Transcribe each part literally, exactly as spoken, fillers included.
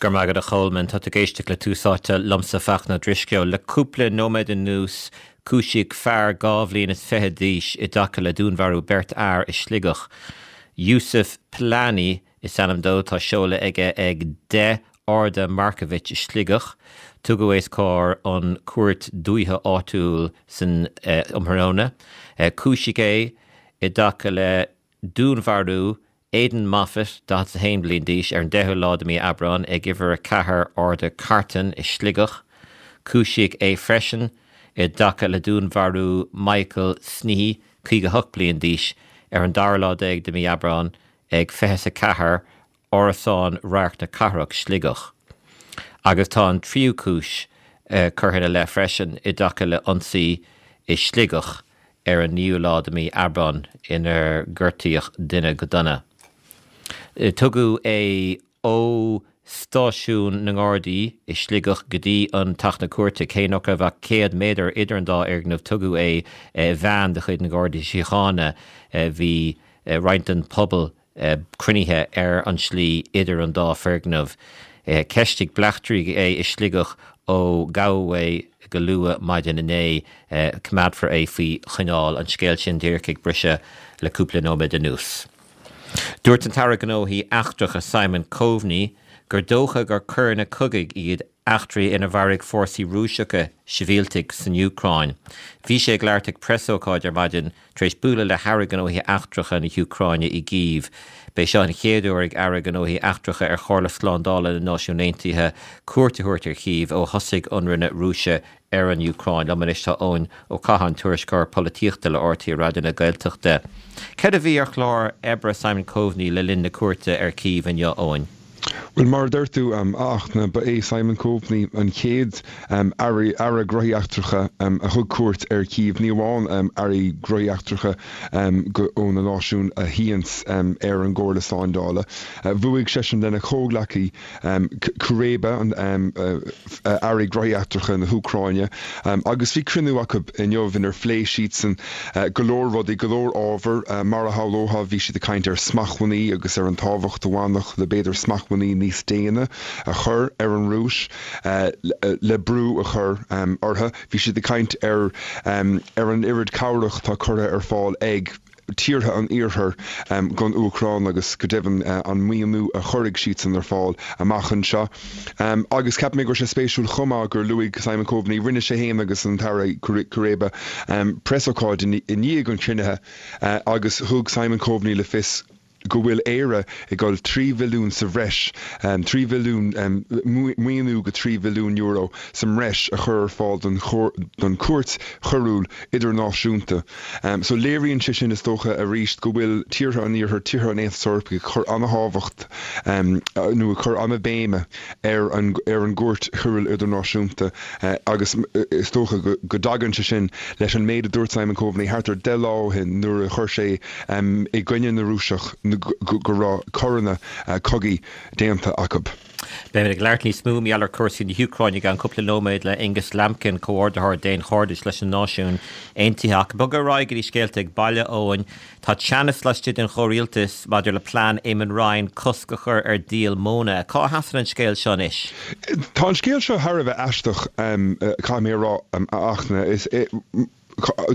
Go raibh maith agat a Cholmáin tá ag éisteacht le Tús Áite liomsa Fachtna Ó Drisceoil le cúpla nóiméad anuas cúisíodh fear dhá bhliain is fiche d'aois i dtaca le dúnmharú beirt fhear i Sligeach. Yusuf Plani is ainm dó tá seoladh aige ag deich Arda Markovic i Sligeach, tugadh os comhair an chúirt dúiche áitiúil san eh, um thráthnóna. Eh, cúisíodh é i dtaca le dúnmharú Aidan Moffat daichead a haon bliain d'aois ar an deichiú lá de mhí Aibreán ag uimhir a ceathair Arda Carton i Sligeach, cúisíodh é freisin i dtaca le dúnmharú Michael Snehy caoga hocht bliain d'aois ar an dara lá déag de mhí Aibreán ag fiche a ceathair Árasán Radharc na Cathrach Sligeach. Agus tá an tríú cúis uh, curtha ina leith freisin i dtaca le ionsaí i Sligeach ar an naoú lá de mhí Aibreán inar gortaíodh duine go dona. Eh, tugadh é ó stáisiún na nGardaí i Sligeach go dtí an teach na cúirte cé nach raibh ach céad méadar idir an dá fhoirgneamh tugadh é eh, veain de chuid na Gardaí Síochána eh, bhí roinnt den pobal cruinnithe ar an slí idir an dá foirgneamh. Cheistigh bleachtairí é i Sligeach ó gabhadh é go luath maidin inné coimeádfar é faoi choinneáil an scéal sin díreach ag briseadh le cúpla nóiméad anuas. Dúirt an tAire Gnóthaí Eachtracha Simon Coveney gur dócha gur coireanna cogaidh iad eachtraí inar mharaigh fórsaí Rúiseacha sibhialtaigh san Úcráin. Bhí sé ag labhairt ag preasócáid ar maidin tar éis bualadh le hAire Gnóthaí Eachtracha na hÚcráine i gCív. B'é seo an chéad uair ag Aire Gnóthaí Eachtracha ar Chomhairle Slándála na Náisiún Aontaithe cuairt a thabhairt ar Chív ó thosaigh ionradh na Rúise ar an Úcráin. Liom anois tá Eoin Ó Catháin tuairisceoir polaitíochta le RTÉ Raidió na Gaeltachta. Cad a bhí ar chlár oibre Simon Coveney le linn na cuairte ar Cív inniu Eoin. Well mar deir tú um, ach na ba é Simon Coveney an chéad um, aire aire gnóthaí eachtracha um, a thug cuairt ar Cív ní amháin um, airí gnóthaí eachtracha um, ó na náisiúin a shuíonns um, ar an gComhairle Slándála. Uh, Bhuaigh seisean lena chomhghleacaí um, Kuleba an um, uh, uh, aire gnóthaí eachtracha na hÚcráine um, agus bhí cruinniú acu inniu inar phléigh siadsan uh, go leor rudaí go leor ábhar uh, mar a shamhlófá bhí siad ag caint ar smachtbhannaí agus ar an tábhacht a bhaineann le b'fhéidir smachtbhannaí níos déine a chur ar an Rúis uh, le, le brú a chur um, orthu. Bhí siad ag caint ar um, ar an oiread cabhrach atá curtha ar fáil ag tíortha an iarthair um, don Úcráin agus go deimhin uh, an maoiniú a chuirfidh siadsan ar fáil amach anseo. Um, agus ceap mé go sé spéisiúil chomh maith gur luaigh Simon Coveney rinne sé féin agus an tAire Kuleba um, preasócáid i ndiaidh an chruinnithe uh, agus thug Simon Coveney le fios go bhfuil Éire ag dul trí bhilliún sa bhreis um, trí bhilliún um, maoiniú go trí bhilliún euro sa mbreis a chur ar fáil don don Chúirt Choiriúil Idirnáisiúnta. Um, so léiríonn sé sin is dócha arís go bhfuil tíortha an iarthair tíortha an Aontais Eorpaigh ag cur an-tábhacht um, nó ag cur an-bhéim ar an ar an gCúirt Choiriúil Idirnáisiúnta uh, agus is dócha go, go dtagann sé sin leis an méid a dúirt Simon Coveney thart ar deich lá ó shin nuair a chuir sé um, i gcoinne na Rúiseach go raibh coireanna uh, cogaidh déanta acu. Beimid ag labhairt níos mó ar chúrsaí na hÚcráine i gceann cúpla nóiméad le Angus Lambkin comhordaitheoir Daonchairdis leis na Náisiúin Aontaithe ach bog ar aghaidh go dtí scéalta ag baile Eoin Tá teannas laistigh den chomhrialtas maidir le plean Eamon Ryan cosc a chur ar dhíol móna. Cá sheasann an scéal seo anois? Tá an scéal seo thar a bheith aisteach um, caithfidh mé a rá um, ach is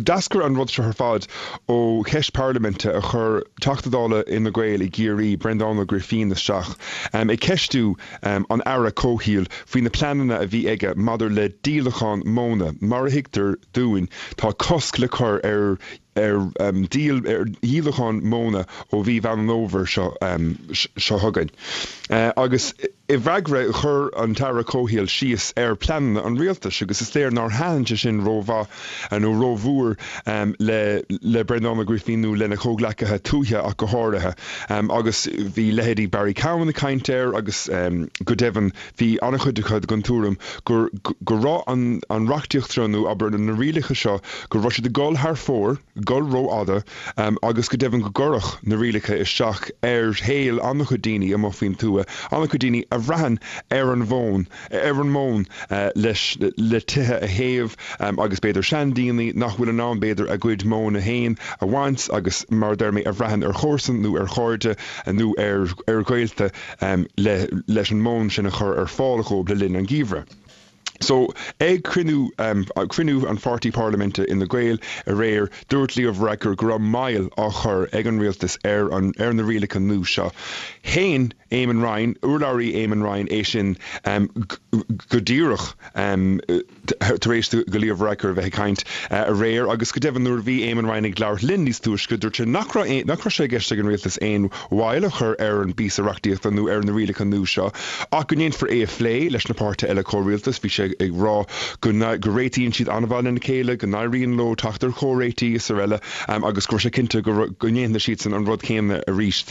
D'eascair an rud seo ar fad ó cheist parlaiminte a chuir Teachta Dála Fhine Gael i gCiarraí Breandán Ó Grifín isteach um, ag ceistiú um, an aire comhshaoil faoi na pleananna a bhí aige maidir le díolachán móna. Mar a thuigtear dúinn tá cosc le cur ar ar um, díol ar dhíolachán móna ó mhí Mheán Fómhair seo um, seo chugainn. Uh, agus i bhfreagra chuir an tAire Comhshaoil síos ar pleananna an rialtais agus is léir nár thaitin sé sin rómhaith nó rómhór um, le, le Breandán Ó Grifín nó lena chomhghleacaithe tuaithe ach go háirithe. Um, agus bhí leithéidí Barry Cowen ag caint air agus um, go deimhin bhí an-chuid acu den tuairim gur go raibh an, an reachtaíocht nó abair na rialacha seo go raibh siad ag dul thar fóir dul rófhada agus go deimhin go gcuirfeadh na rialacha isteach ar shaol an-chuid daoine amuigh faoin tuath, an-chuid daoine a bhraitheann ar an mhóin, ar an móin leis le tithe a théamh agus b'fhéidir seandaoine nach bhfuil in ann b'fhéidir a gcuid móna féin a bhaint agus mar a deir mé a bhraitheann ar chomharsain nó ar chairde nó ar ar ghaolta le leis an móin sin a chur ar fáil dhóibh le linn an gheimhridh. So, ag cruinniú cruinniú an pháirtí parlaiminte Fhine Gael aréir, dúirt Leo Varadkar go raibh moill á chur ag an rialtas ar an ar na rialacha nua seo. Shéan Eamon Ryan, urlabhraí Eamon Ryan é sin go díreach tar éis do Leo Varadkar a bheith ag caint aréir agus go deimhin nuair a bhí Eamon Ryan ag labhairt linn níos túisce dúirt sé nach raibh nach raibh sé i gceist ag an rialtas aon mhoill a chur ar an bpíosa reachtaíochta nó ar na rialacha nua seo ach go ndéanfar é a phlé leis na páirtithe eile comhrialtais. Bhí sé ag rá go go réitíonn siad an-mhaith lena chéile, go n-éiríonn leo teacht ar chomhréitigh is araile agus go raibh sé cinnte go go ndéanfaidh siadsan an rud céanna arís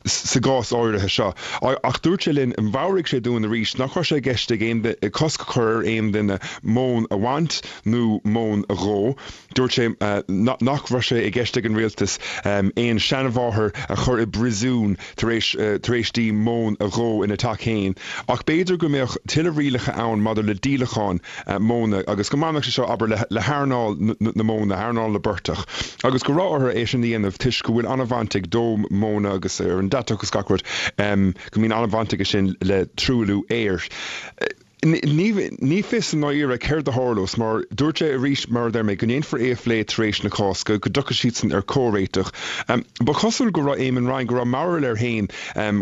sa gcás áirithe seo. Ach dúirt sé linn, mheabhraigh sé dúinn arís nach raibh sé i gceist ag aon cosc a chur ar aon duine móin a bhaint nó móin a dhó. Dúirt sé nach raibh sé i gceist ag an rialtas aon seanmháthair a chur i bpríosún tar éis tar éis di móin a dhó ina teach féin. Ach b'fhéidir go mbeadh tuilleadh rialacha ann maidir le díolachán móna agus go mbainfeadh sé seo, abair, le hearnáil na móna, earnáil na bportach, agus go raibh orthu é sin a dhéanamh toisc go bhfuil an-bhaint ag dó móna agus ar an deatach agus gach rud, go mbíonn an-bhaint aige sin le truailliú aeir. Ní fios i ndáiríre céard a tharlós mar dúirt sé arís, mar a deir mé, go ndéanfar é a phlé tar éis na Cásca, go dtiocfaidh siadsan ar chomhréiteach. Ba chosúil go raibh Eamon Ryan, go raibh mearbhall air féin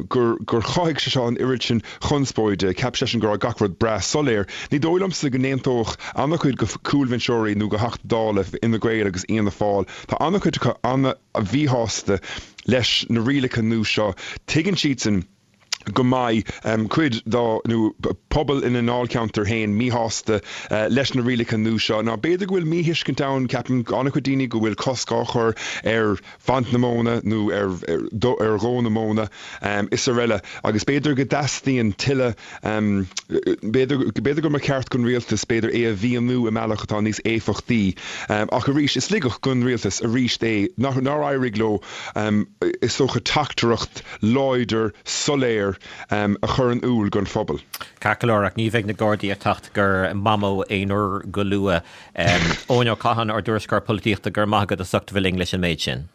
gur gur chothaigh sé seo an oiread sin conspóide. Cheap seisean go raibh gach rud breá soiléir. Ní dóigh liomsa go n-aontódh an-chuid de chúlbhinseoirí nó de Theachtaí Dála Fhine Gael agus Fhianna Fáil. Tá an-chuid acu an-mhíshásta leis na rialacha nua seo. Tuigeann siadsan go mbeidh cuid dá nó pobal ina ndáilcheantar féin míshásta leis na rialacha nua seo. Ná b'fhéidir go bhfuil míthuiscint ann, ceapann an-chuid daoine go bhfuil cosc á chur ar bhaint na móna nó ar ar dhó na móna is araile agus b'fhéidir go dteastaíonn tuilleadh, b'fhéidir b'fhéidir go mba cheart don rialtas b'fhéidir é a mhíniú i mbealach atá níos éifeachtaí. Ach arís, is laigeacht don rialtas arís é nár éirigh leo is dócha teachtaireacht láidir, soiléir a chur in iúl don phobal. Ceart go leor, ach ní bheidh na Gardaí ag teacht go Mamó aon uair go luath. Eoin Ó Catháin, ár dtuairisceoir polaitíochta, go raibh maith agat as ucht a bheith linn leis an méid sin.